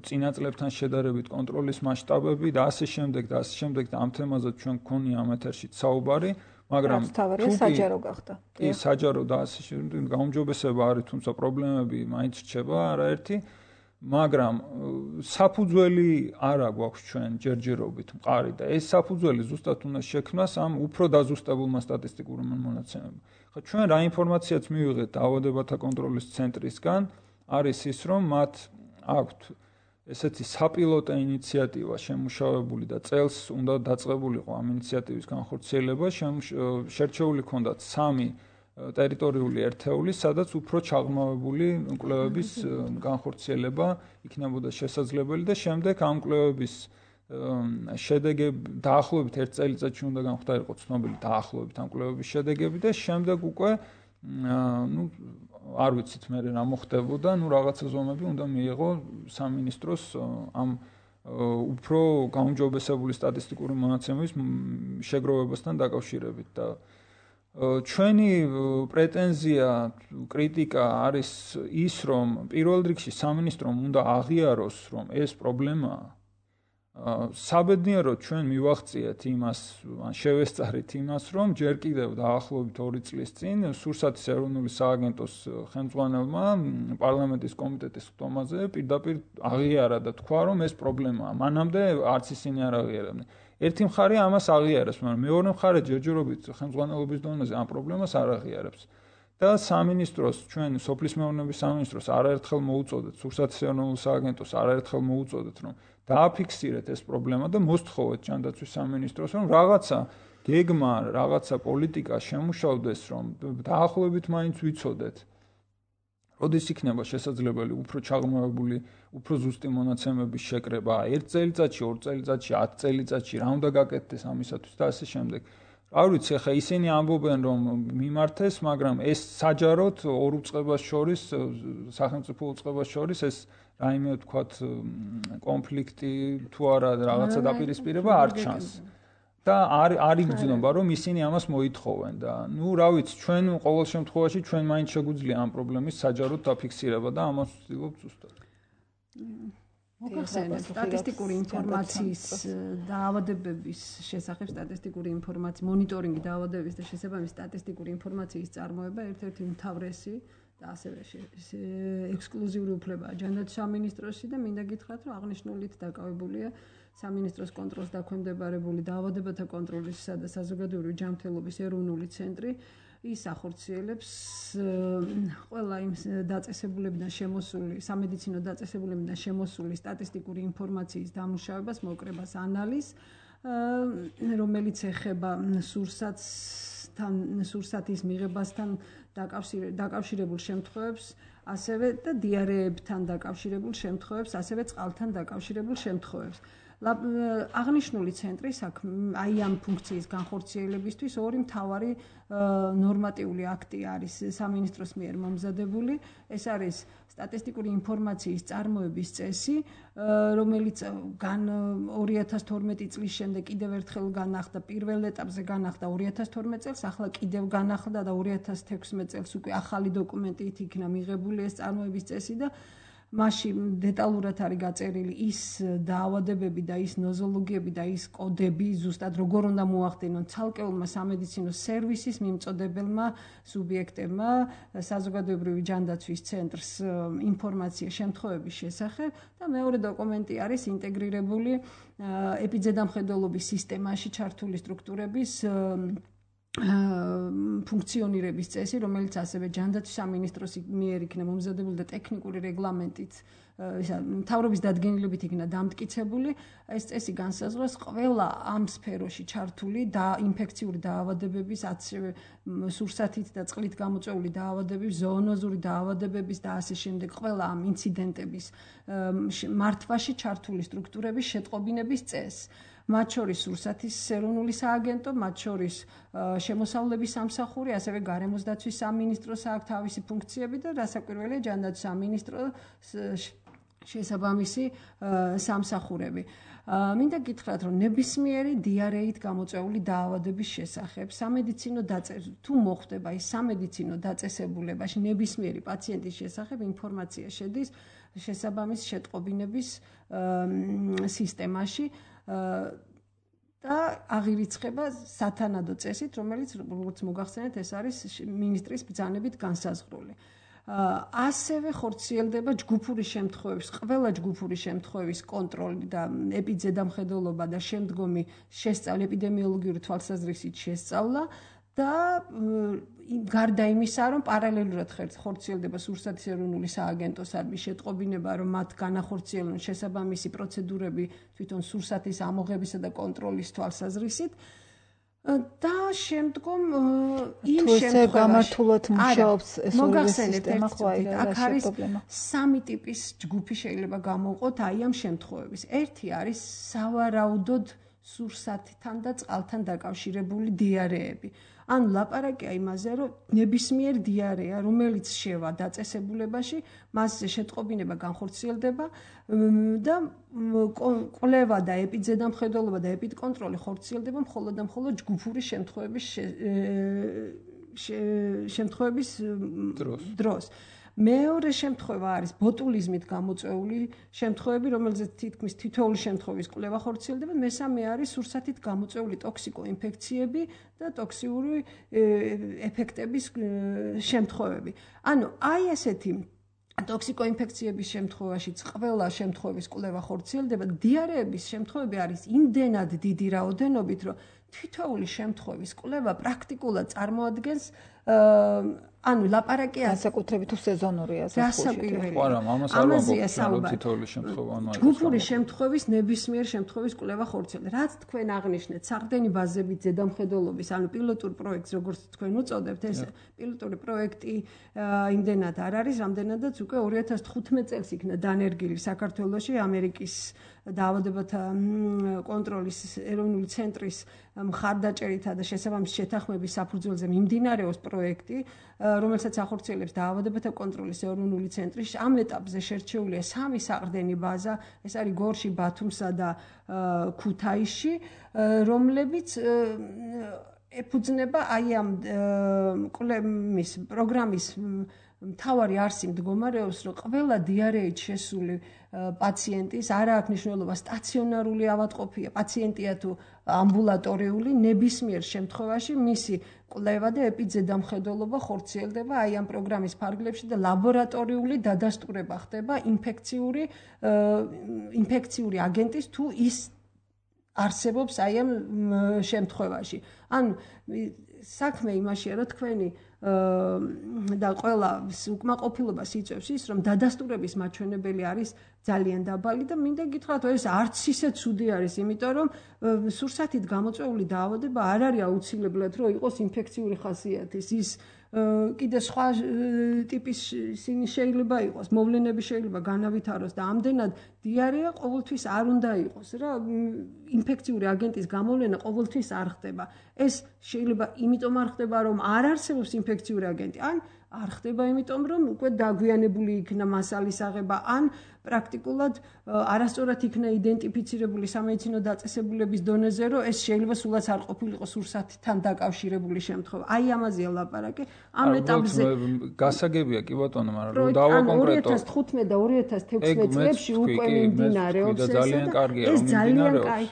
წინა წლებთან შედარებით კონტროლის მასშტაბები და ასე შემდეგ და ასე შემდეგ და ამ თემაზე ჩვენ გქონია ამ ეთერში საუბარი. მაგრამ თუ საჯარო გახდა. კი, საჯარო და ასე შემდეგ გაუმჯობესება არის, თუმცა პრობლემები მაინც რჩება არაერთი, მაგრამ საფუძველი არა გვაქვს ჩვენ ჯერჯერობით მყარი და ეს საფუძველი ზუსტად უნდა შექმნას ამ უფრო დაზუსტებულმა სტატისტიკურ მონაცემებმა. ხო, ჩვენ რა ინფორმაციაც მივიღეთ დაავადებათა კონტროლის ცენტრისგან, არის ის, რომ მათ აქვთ ესეთი საპილოტო ინიციატივა შემუშავებული და წელს უნდა დაწყებულიყო ამ ინიციატივის განხორციელება, შერჩეული ჰქონდათ სამი ტერიტორიული ერთეული, სადაც უფრო ჩაღრმავებული კვლევების განხორციელება იქნებოდა შესაძლებელი და შემდეგ ამ კვლევების შედეგები დაახლოებით ერთ წელიწადში უნდა განხდარიყო ცნობილი დაახლოებით ამ კვლევების შედეგები და შემდეგ უკვე ну არ ვიცით მე რა მოხდებოდა, ну რაღაცა ზომები უნდა მიიღო სამინისტროს ამ უფრო გაუმჯობესებული სტატისტიკური მონაცემების შეგროვებასთან დაკავშირებით და ჩვენი პრეტენზია, კრიტიკა არის ის, რომ პირველ რიგში სამინისტრომ უნდა აღიაროს, რომ ეს პრობლემაა. საბედნიეროდ ჩვენ მივახციეთ იმას, ან შევესწარით იმას, რომ ჯერ კიდევ დაახლოებით ორი წლის წინ სურსათის ეროვნული სააგენტოს ხელმძღვანელმა პარლამენტის კომიტეტის ხტომაზე პირდაპირ აღიარა და თქვა, რომ ეს პრობლემაა. მანამდე არც ისინი არ აღიარებდნენ. ერთი მხარე ამას აღიარებს, მაგრამ მეორე მხარე ჯერჯერობით ხელმძღვანელობის დონეზე ამ პრობლემას არ აღიარებს. და სამინისტროს, ჩვენ სოფლის მეურნეობის სამინისტროს არაერთხელ მოუწოდეთ, სურსათის ეროვნულ სააგენტოს არაერთხელ მოუწოდეთ, რომ დააფიქსირეთ ეს პრობლემა და მოსთხოვეთ ჯანდაცვის სამინისტროს, რომ რაღაცა გეგმა, რაღაცა პოლიტიკა შემუშავდეს, რომ დაახლოებით მაინც ვიცოდეთ. როდის იქნება შესაძლებელი უფრო ჩაღრმავებული, უფრო ზუსტი მონაცემების შეკრება, ერთ წელიწადში, ორ წელიწადში, ათ წელიწადში, რა უნდა გაკეთდეს ამისათვის და ასე შემდეგ. არ ვიცი, ახლა ისინი ამბობენ, რომ მიმართეს, მაგრამ ეს საჯაროდ ორ უწყებას შორის, სახელმწიფო უწყებას შორის ეს რაიმე ვთქვათ კონფლიქტი თუ არა რაღაცა დაპირისპირება არ ჩანს. და არ არ იგრძნობა, რომ ისინი ამას მოითხოვენ და ნუ რა ვიცი, ჩვენ ყოველ შემთხვევაში ჩვენ მაინც შეგვიძლია ამ პრობლემის საჯაროდ დაფიქსირება და ამას ვცდილობთ ზუსტად. მოგახსენეთ სტატისტიკური ინფორმაციის დაავადებების შესახებ სტატისტიკური ინფორმაციის მონიტორინგი დაავადებების და შესაბამისი სტატისტიკური ინფორმაციის წარმოება ერთ-ერთი უმთავრესი და ასევე ექსკლუზიური უფლებაა ჯანდაცვის სამინისტროსი და მინდა გითხრათ, რომ აღნიშნულით დაკავებულია სამინისტროს კონტროლს დაქვემდებარებული დაავადებათა კონტროლისა და საზოგადოებრივი ჯანმრთელობის ეროვნული ცენტრი. ის ახორციელებს ყველა იმ დაწესებულებიდან შემოსული, სამედიცინო დაწესებულებიდან შემოსული სტატისტიკური ინფორმაციის დამუშავებას, მოკრებას, ანალიზს, რომელიც ეხება სურსათსთან, სურსათის მიღებასთან დაკავშირებულ შემთხვევებს, ასევე და დიარეებთან დაკავშირებულ შემთხვევებს, ასევე წყალთან დაკავშირებულ შემთხვევებს. აღნიშნული ცენტრი საქმე აი ამ ფუნქციის განხორციელებისთვის ორი მთავარი ნორმატიული აქტი არის სამინისტროს მიერ მომზადებული. ეს არის სტატისტიკური ინფორმაციის წარმოების წესი, რომელიც გან ორი ათას თორმეტი წლის შემდეგ კიდევ ერთხელ განახდა, პირველ ეტაპზე განახდა ორი ათას თორმეტ წელს, ახლა კიდევ განახდა და ორი ათას თექვსმეტ წელს უკვე ახალი დოკუმენტით იქნა მიღებული ეს წარმოების წესი და მასში დეტალურად არის გაწერილი ის დაავადებები და ის ნოზოლოგიები და ის კოდები, ზუსტად როგორ უნდა მოახდინონ ცალკეულმა სამედიცინო სერვისის მიმწოდებელმა სუბიექტებმა საზოგადოებრივი ჯანდაცვის ცენტრს ინფორმაცია შემთხვევების შესახებ და მეორე დოკუმენტი არის ინტეგრირებული ეპიძედამხედველობის სისტემაში ჩართული სტრუქტურების ფუნქციონირების წესი, რომელიც ასევე ჯანდაცვის სამინისტროს მიერ იქნა მომზადებული და ტექნიკური რეგლამენტით მთავრობის დადგენილებით იქნა დამტკიცებული. ეს წესი განსაზღვრავს ყველა ამ სფეროში ჩართული და ინფექციური დაავადებების, ასევე სურსათით და წყლით გამოწვეული დაავადებების, ზოონოზური დაავადებების და ასე შემდეგ ყველა ამ ინციდენტების მართვაში ჩართული სტრუქტურების შეტყობინების წესს. მათ შორის სურსათის ეროვნული სააგენტო, მათ შორის შემოსავლების სამსახური, ასევე გარემოს დაცვის სამინისტროს აქვს თავისი ფუნქციები და რასაკვირველია ჯანდაცვის სამინისტროს შესაბამისი სამსახურები. მინდა გითხრათ, რომ ნებისმიერი დიარეით გამოწვეული დაავადების შესახებ სამედიცინო დაწესებულებაში თუ მოხდება ის სამედიცინო დაწესებულებაში ნებისმიერი პაციენტის შესახებ ინფორმაცია შედის შესაბამის შეტყობინების სისტემაში და აღირიცხება სათანადო წესით, რომელიც როგორც მოგახსენეთ, ეს არის მინისტრის ბრძანებით განსაზღვრული. ასევე ხორციელდება ჯგუფური შემთხვევების, ყველა ჯგუფური შემთხვევის კონტროლი და ეპიძედამხედველობა და შემდგომი შესწავლა, ეპიდემიოლოგიური თვალსაზრისით შესწავლა და გარდა იმისა, რომ პარალელურად ხორციელდება სურსათის ეროვნული სააგენტოს არბის შეტყობინება, რომ მათ განახორციელონ შესაბამისი პროცედურები თვითონ სურსათის ამოღებისა და კონტროლის თვალსაზრისით და შემდგომ იმ შემთხვევაში გამართულად მუშაობს ეს ორი სისტემა, ხო აი რა არის სამი ტიპის ჯგუფი შეიძლება გამოვყოთ აი ამ შემთხვევების. ერთი არის სავარაუდოდ სურსათთან და წყალთან დაკავშირებული დიარეები. ანუ ლაპარაკია იმაზე, რომ ნებისმიერ დიარეა, რომელიც შევა დაწესებულებაში, მასზე შეტყობინება განხორციელდება და კვლევა და ეპიძედამხედველობა და ეპიდკონტროლი ხორციელდება მხოლოდ და მხოლოდ ჯგუფური შემთხვევების შემთხვევების დროს. მეორე შემთხვევა არის ბოტულიზმით გამოწვეული შემთხვევები, რომელზეც თითქმის თითოეული შემთხვევის კვლევა ხორციელდება. მესამე არის სურსათით გამოწვეული ტოქსიკოინფექციები და ტოქსიური ეფექტების შემთხვევები. ანუ აი ესეთი ტოქსიკოინფექციების შემთხვევაშიც ყველა შემთხვევის კვლევა ხორციელდება. დიარეების შემთხვევები არის იმდენად დიდი რაოდენობით, რომ თითოეული შემთხვევის კვლევა პრაქტიკულად წარმოადგენს ანუ ლაპარაკია განსაკუთრებით თუ სეზონურია სასაკვირველია. ხო, არა, ამას არ ვამბობ, რომ თითოეული შემთხვევა ანუ არის. ჯგუფური შემთხვევის ნებისმიერ შემთხვევის კვლევა ხორციელდება. რაც თქვენ აღნიშნეთ, საყრდენი ბაზებით ზედამხედველობის, ანუ პილოტურ პროექტს, როგორც თქვენ უწოდებთ, ეს პილოტური პროექტი იმდენად არ არის, რამდენადაც უკვე ორი ათას თხუთმეტ წელს იქნა დანერგილი საქართველოში ამერიკის დაავადებათა კონტროლის ეროვნული ცენტრის მხარდაჭერითა და შესაბამის შეთანხმების საფუძველზე მიმდინარეობს პროექტი, რომელსაც ახორციელებს დაავადებათა კონტროლის ეროვნული ცენტრი. ამ ეტაპზე შერჩეულია სამი საყრდენი ბაზა, ეს არის გორში, ბათუმსა და ქუთაისში, რომლებიც ეფუძნება აი ამ კვლევის პროგრამის მთავარი არსი მდგომარეობს, რომ ყველა დიარეით შესული პაციენტის არა აქვს მნიშვნელობა სტაციონარული ავადმყოფია, პაციენტია თუ ამბულატორიული, ნებისმიერ შემთხვევაში მისი კვლევა და ეპიძედამხედველობა ხორციელდება აი ამ პროგრამის ფარგლებში და ლაბორატორიული დადასტურება ხდება ინფექციური ინფექციური აგენტის თუ ის არსებობს აი ამ შემთხვევაში. ანუ საქმე იმაშია, რომ თქვენი და ყველა უკმაყოფილებას იწვევს ის, რომ დადასტურების მაჩვენებელი არის ძალიან დაბალი და მინდა გითხრათ, ეს არც ისე ცუდი არის, იმიტომ რომ სურსათით გამოწვეული დაავადება არ არის აუცილებლად, რომ იყოს ინფექციური ხასიათის. ის კიდე სხვა ტიპის ისინი შეიძლება იყოს, მოვლენები შეიძლება განავითაროს და ამდენად დიარეა ყოველთვის არ უნდა იყოს რა, ინფექციური აგენტის გამოვლენა ყოველთვის არ ხდება. ეს შეიძლება იმიტომ არ ხდება, რომ არ არსებობს ინფექციური აგენტი, ან არ ხდება იმიტომ, რომ უკვე დაგვიანებული იქნა მასალის აღება, ან პრაქტიკულად არასწორად იქნა იდენტიფიცირებული სამედიცინო დაწესებულების დონეზე, რომ ეს შეიძლება სულაც არ ყოფილიყო სურსათთან დაკავშირებული შემთხვევა. აი ამაზეა ლაპარაკი. ამ ეტაპზე გასაგებია კი ბატონო, მაგრამ რომ დავაკონკრეტო ორი ათას თხუთმეტ და ორი ათას თექვსმეტ წლებში უკვე მიმდინარეობს ეს ძალიან კარგია რომ მიმდინარეობს.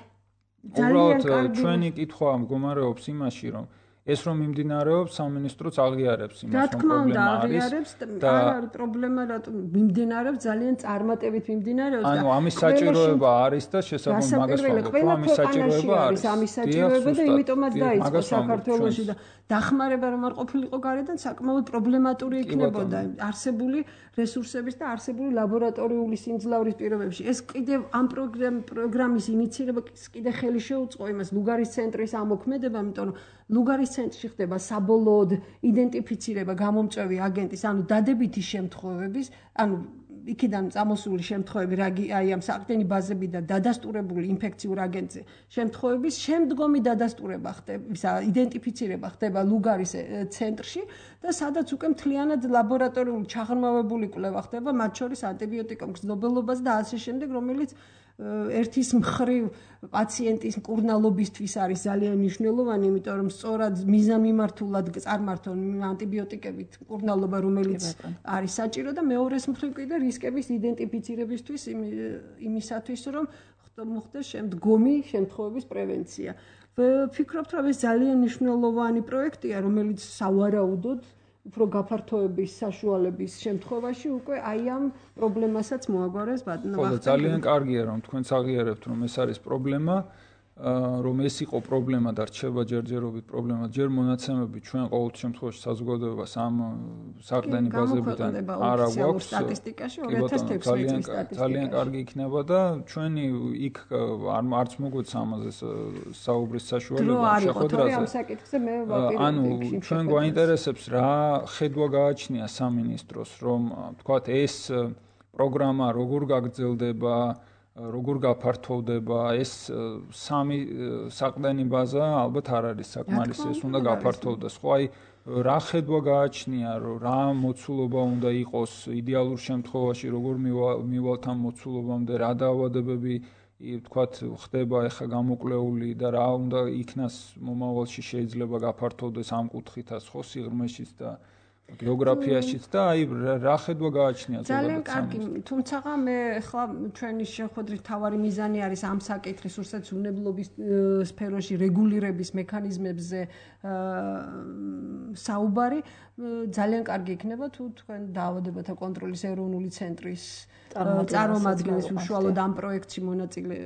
უბრალოდ ჩვენი კითხვა მდგომარეობს იმაში, რომ ეს რომ მიმდინარეობს სამინისტროც აღიარებს იმას, რომ პრობლემა არის და არ არის პრობლემა, რატომ მიმდინარეობს ძალიან წარმატებით მიმდინარეობს და ანუ ამის საჭიროება არის და შესაბამისად მაგას ვამბობ, ამის საჭიროება არის. ამის საჭიროება და იმიტომაც დაიწყო საქართველოში და დახმარება რომ არ ყოფილიყო გარედან საკმაოდ პრობლემატური იქნებოდა არსებული რესურსების და არსებული ლაბორატორიული სიმძლავრის პირობებში. ეს კიდევ ამ პროგრამის ინიციირება კიდე ხელი შეუწყო იმას ლუგარის ცენტრის ამოქმედება, იმიტომ რომ ლუგარის ცენტრში ხდება საბოლოოდ იდენტიფიცირება გამომწვევი აგენტის, ანუ დადებითი შემთხვევების, ანუ იქიდან წამოსული შემთხვევები, აი ამ საყრდენი ბაზებიდან დადასტურებული ინფექციურ აგენტზე შემთხვევების შემდგომი დადასტურება ხდება, იდენტიფიცირება ხდება ლუგარის ცენტრში და სადაც უკვე მთლიანად ლაბორატორიული ჩაღრმავებული კვლევა ხდება, მათ შორის ანტიბიოტიკურ მგრძნობელობას და ასე შემდეგ, რომელიც ერთის მხრივ პაციენტის მკურნალობისთვის არის ძალიან მნიშვნელოვანი, იმიტომ რომ სწორად მიზანმიმართულად წარმართონ ანტიბიოტიკებით მკურნალობა, რომელიც არის საჭირო და მეორეს მხრივ კიდე რისკების იდენტიფიცირებისთვის იმისათვის, რომ მოხდეს შემდგომი შემთხვევების პრევენცია. ვფიქრობთ, რომ ეს ძალიან მნიშვნელოვანი პროექტია, რომელიც სავარაუდოდ უფრო გაფართოების საშუალების შემთხვევაში უკვე აი ამ პრობლემასაც მოაგვარებს ბატონო. ხო, ძალიან კარგია რომ თქვენც აღიარებთ რომ ეს არის პრობლემა, რომ ეს იყო პრობლემა და რჩება ჯერჯერობით პრობლემა. ჯერ მონაცემები ჩვენ ყოველ შემთხვევაში საზოგადოებას ამ საყრდენი ბაზებიდან არ აქვს სტატისტიკაში ორი ათას თექვსმეტ წლის სტატისტიკა. ძალიან კარგი იქნება და ჩვენი იქ არც მოგვეცა ამაზე საუბრის საშუალება შეხვედრაზე. ამ საკითხზე მე ვაპირებდი. ანუ ჩვენ გვაინტერესებს რა ხედვა გააჩნია სამინისტროს, რომ თქვათ ეს პროგრამა როგორ გაგრძელდება, როგორ გაფართოვდება, ეს სამი საყრდენი ბაზა ალბათ არ არის საკმარისი, ეს უნდა გაფართოვდეს. ხო, აი რა ხედვა გააჩნია, რა მოცულობა უნდა იყოს იდეალურ შემთხვევაში, როგორ მივალთ ამ მოცულობამდე, რა დაავადებები თქვათ ხდება ეხა გამოკვლეული და რა უნდა იქნას მომავალში შეიძლება გაფართოვდეს ამ კუთხითაც, ხო, სიღრმეშიც და გეოგრაფიაშიც და აი რა ხედვა გააჩნია ზოგადად. ძალიან კარგი, თუმცა მე ახლა ჩვენი შეხვედრის თავარი მიზანი არის ამ საკითხის, როცა უნებლობის სფეროში რეგულირების მექანიზმებზე საუბარი. ძალიან კარგი იქნება თუ თქვენ დაავადებათა კონტროლის ეროვნული ცენტრის წარმომადგენლის უშუალოდ ამ პროექტში მონაწილე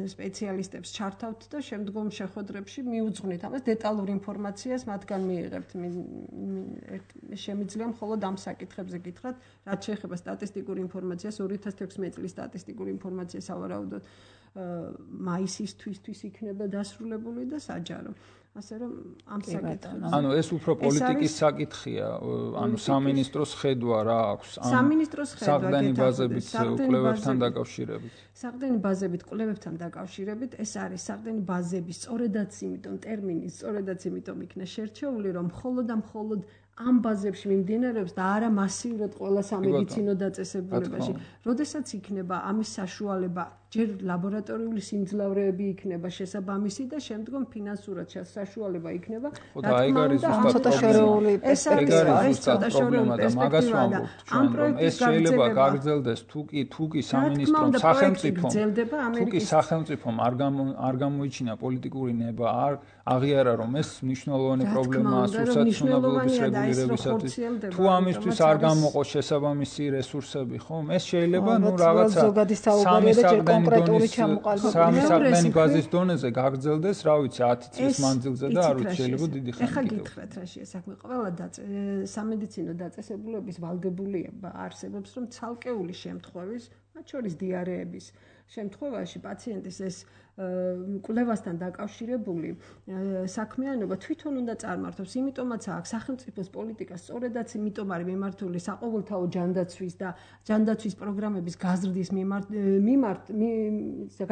სპეციალისტებს ჩართავთ და შემდგომ შეხვედრებში მიუძღვნით ამას დეტალურ ინფორმაციას მათგან მიიღებთ. შემიძლია მხოლოდ ამ საკითხებზე გითხრათ, რაც შეეხება სტატისტიკურ ინფორმაციას, ორი ათას თექვსმეტ წლის სტატისტიკურ ინფორმაციას ავარაუდოთ მაისისთვისთვის იქნება დასრულებული და საჯარო. ასე რომ ამ საკითხებზე. ანუ ეს უფრო პოლიტიკის საკითხია, ანუ სამინისტროს ხედვა რა აქვს ამ სამინისტროს ხედვა საყრდენი ბაზებით კვლევებთან დაკავშირებით. საყრდენი ბაზებით კვლევებთან დაკავშირებით ეს არის საყრდენი ბაზების სწორედაც იმიტომ ტერმინი სწორედაც იმიტომ იქნა შერჩეული, რომ მხოლოდ და მხოლოდ ამ ბაზებში მიმდინარეობს და არა მასიურად ყველა სამედიცინო დაწესებულებაში. როდესაც იქნება ამის საშუალება, ჯერ ლაბორატორიული სიმძლავრეები იქნება შესაბამისი და შემდგომ ფინანსურად საშუალება იქნება. რა თქმა უნდა, ცოტა შორეული პრობლემა და მაგას ვამბობთ ჩვენ, რომ ეს შეიძლება გაგრძელდეს თუ კი თუ კი სამინისტრომ სახელმწიფომ თუ კი სახელმწიფომ არ გამოიჩინა პოლიტიკური ნება, არ აღიარა რომ ეს მნიშვნელოვანი პრობლემაა სურსათმუნებლობის რეგულირებისათვის. თუ ამისთვის არ გამოყო შესაბამისი რესურსები, ხომ? ეს შეიძლება ნუ რაღაცა სამი კონკრეტული ჩამოყალიბება სამი საყრდენი ბაზის დონეზე გაგრძელდეს, რა ვიცი, ათი წლის მანძილზე და არ ვიცი, შეიძლება დიდი ხანი. ეხლა გითხრათ რაშია საქმე. ყველა სამედიცინო დაწესებულების ვალდებულება არსებობს, რომ ცალკეული შემთხვევის, მათ შორის დიარეების შემთხვევაში პაციენტის ეს კვლევასთან დაკავშირებული საქმიანობა თვითონ უნდა წარმართოს, იმიტომაც აქვს სახელმწიფოს პოლიტიკა სწორედაც იმიტომ არის მიმართული საყოველთაო ჯანდაცვის და ჯანდაცვის პროგრამების გაზრდის მიმართ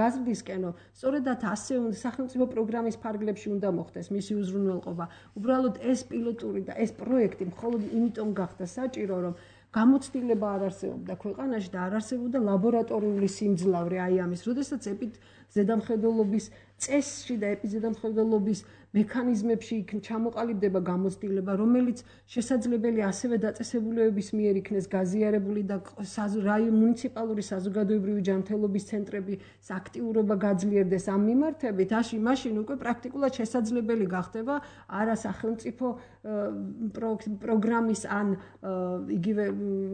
გაზრდისკენო, სწორედაც ასე სახელმწიფო პროგრამის ფარგლებში უნდა მოხდეს მისი უზრუნველყოფა. უბრალოდ ეს პილოტური და ეს პროექტი მხოლოდ იმიტომ გახდა საჭირო, რომ გამოცდილება არ არსებობდა ქვეყანაში და არ არსებობდა ლაბორატორიული სიმძლავრე აი ამის, როდესაც ეპიდ ზედამხედველობის წესში და ეპიზედამხედველობის მექანიზმებში ჩამოყალიბდება გამოცდილება, რომელიც შესაძლებელი ასევე დაწესებულებების მიერ იქნეს გაზიარებული და მუნიციპალური საზოგადოებრივი ჯანმრთელობის ცენტრების აქტიურობა გაძლიერდეს ამ მიმართებით, აში მაშინ უკვე პრაქტიკულად შესაძლებელი გახდება არა სახელმწიფო პროგრამის ან იგივე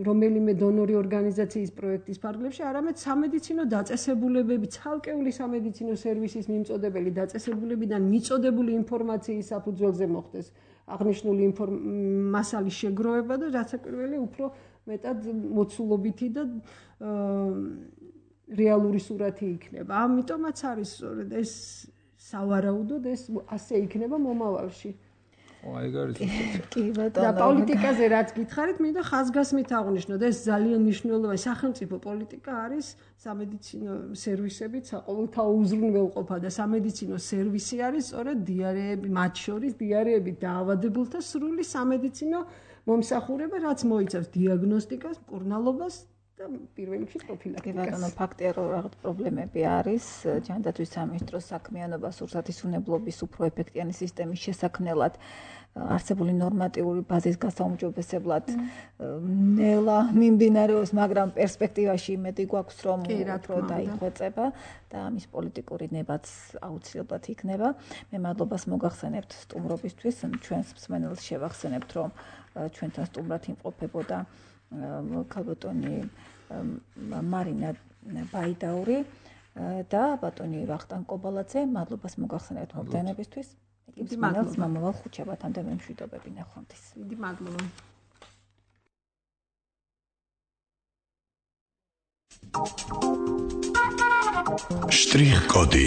რომელიმე დონორი ორგანიზაციის პროექტის ფარგლებში, არამედ სამედიცინო დაწესებულებები, ცალკეული სამედიცინო სერვისის მიმწოდებელი დაწესებულებიდან მიწოდებული ინფორმაციის საფუძველზე მოხდეს აღნიშნული მასალის შეგროვება და რაც პირველი უფრო მეტად მოცულობითი და რეალური სურათი იქნება. ამიტომაც არის სწორედ ეს სავარაუდოდ ეს ასე იქნება მომავალში. აი გარეთ კი ბატონო და პოლიტიკაზე რაც გითხარით, მინდა ხაზგასმით აღვნიშნოთ, ეს ძალიან მნიშვნელოვანი სახელმწიფო პოლიტიკა არის სამედიცინო სერვისებით, საყოველთაო უზრუნველყოფა და სამედიცინო სერვისი არის სწორედ დიარეები, მათ შორის დიარეები დაავადებულთა სრული სამედიცინო მომსახურება, რაც მოიცავს დიაგნოსტიკას, მკურნალობას და პირველ რიგში პროფილაქტიკას. კი ბატონო, ფაქტია რომ რაღაც პრობლემები არის ჯანდაცვის სამინისტროს საქმიანობა სურსათის უნებლობის უფრო ეფექტიანი სისტემის შესაქმნელად არსებული ნორმატიული ბაზის გასაუმჯობესებლად ნელა მიმდინარეობს, მაგრამ პერსპექტივაში იმედი გვაქვს რომ უფრო დაიხვეწება და ამის პოლიტიკური ნებაც აუცილებლად იქნება. მე მადლობას მოგახსენებთ სტუმრობისთვის, ჩვენს მსმენელს შევახსენებთ რომ ჩვენთან სტუმრად იმყოფებოდა ქალბატონი მარინა ბაიდაური და ბატონი ვახტანგ კობალაძე. მადლობას მოგახსენებთ მომდევნებისთვის. იგი მსმენელს მომავალ ხუთშაბათამდე მემშვიდობები ნახვამდის. დიდი მადლობა. Штрих-коды.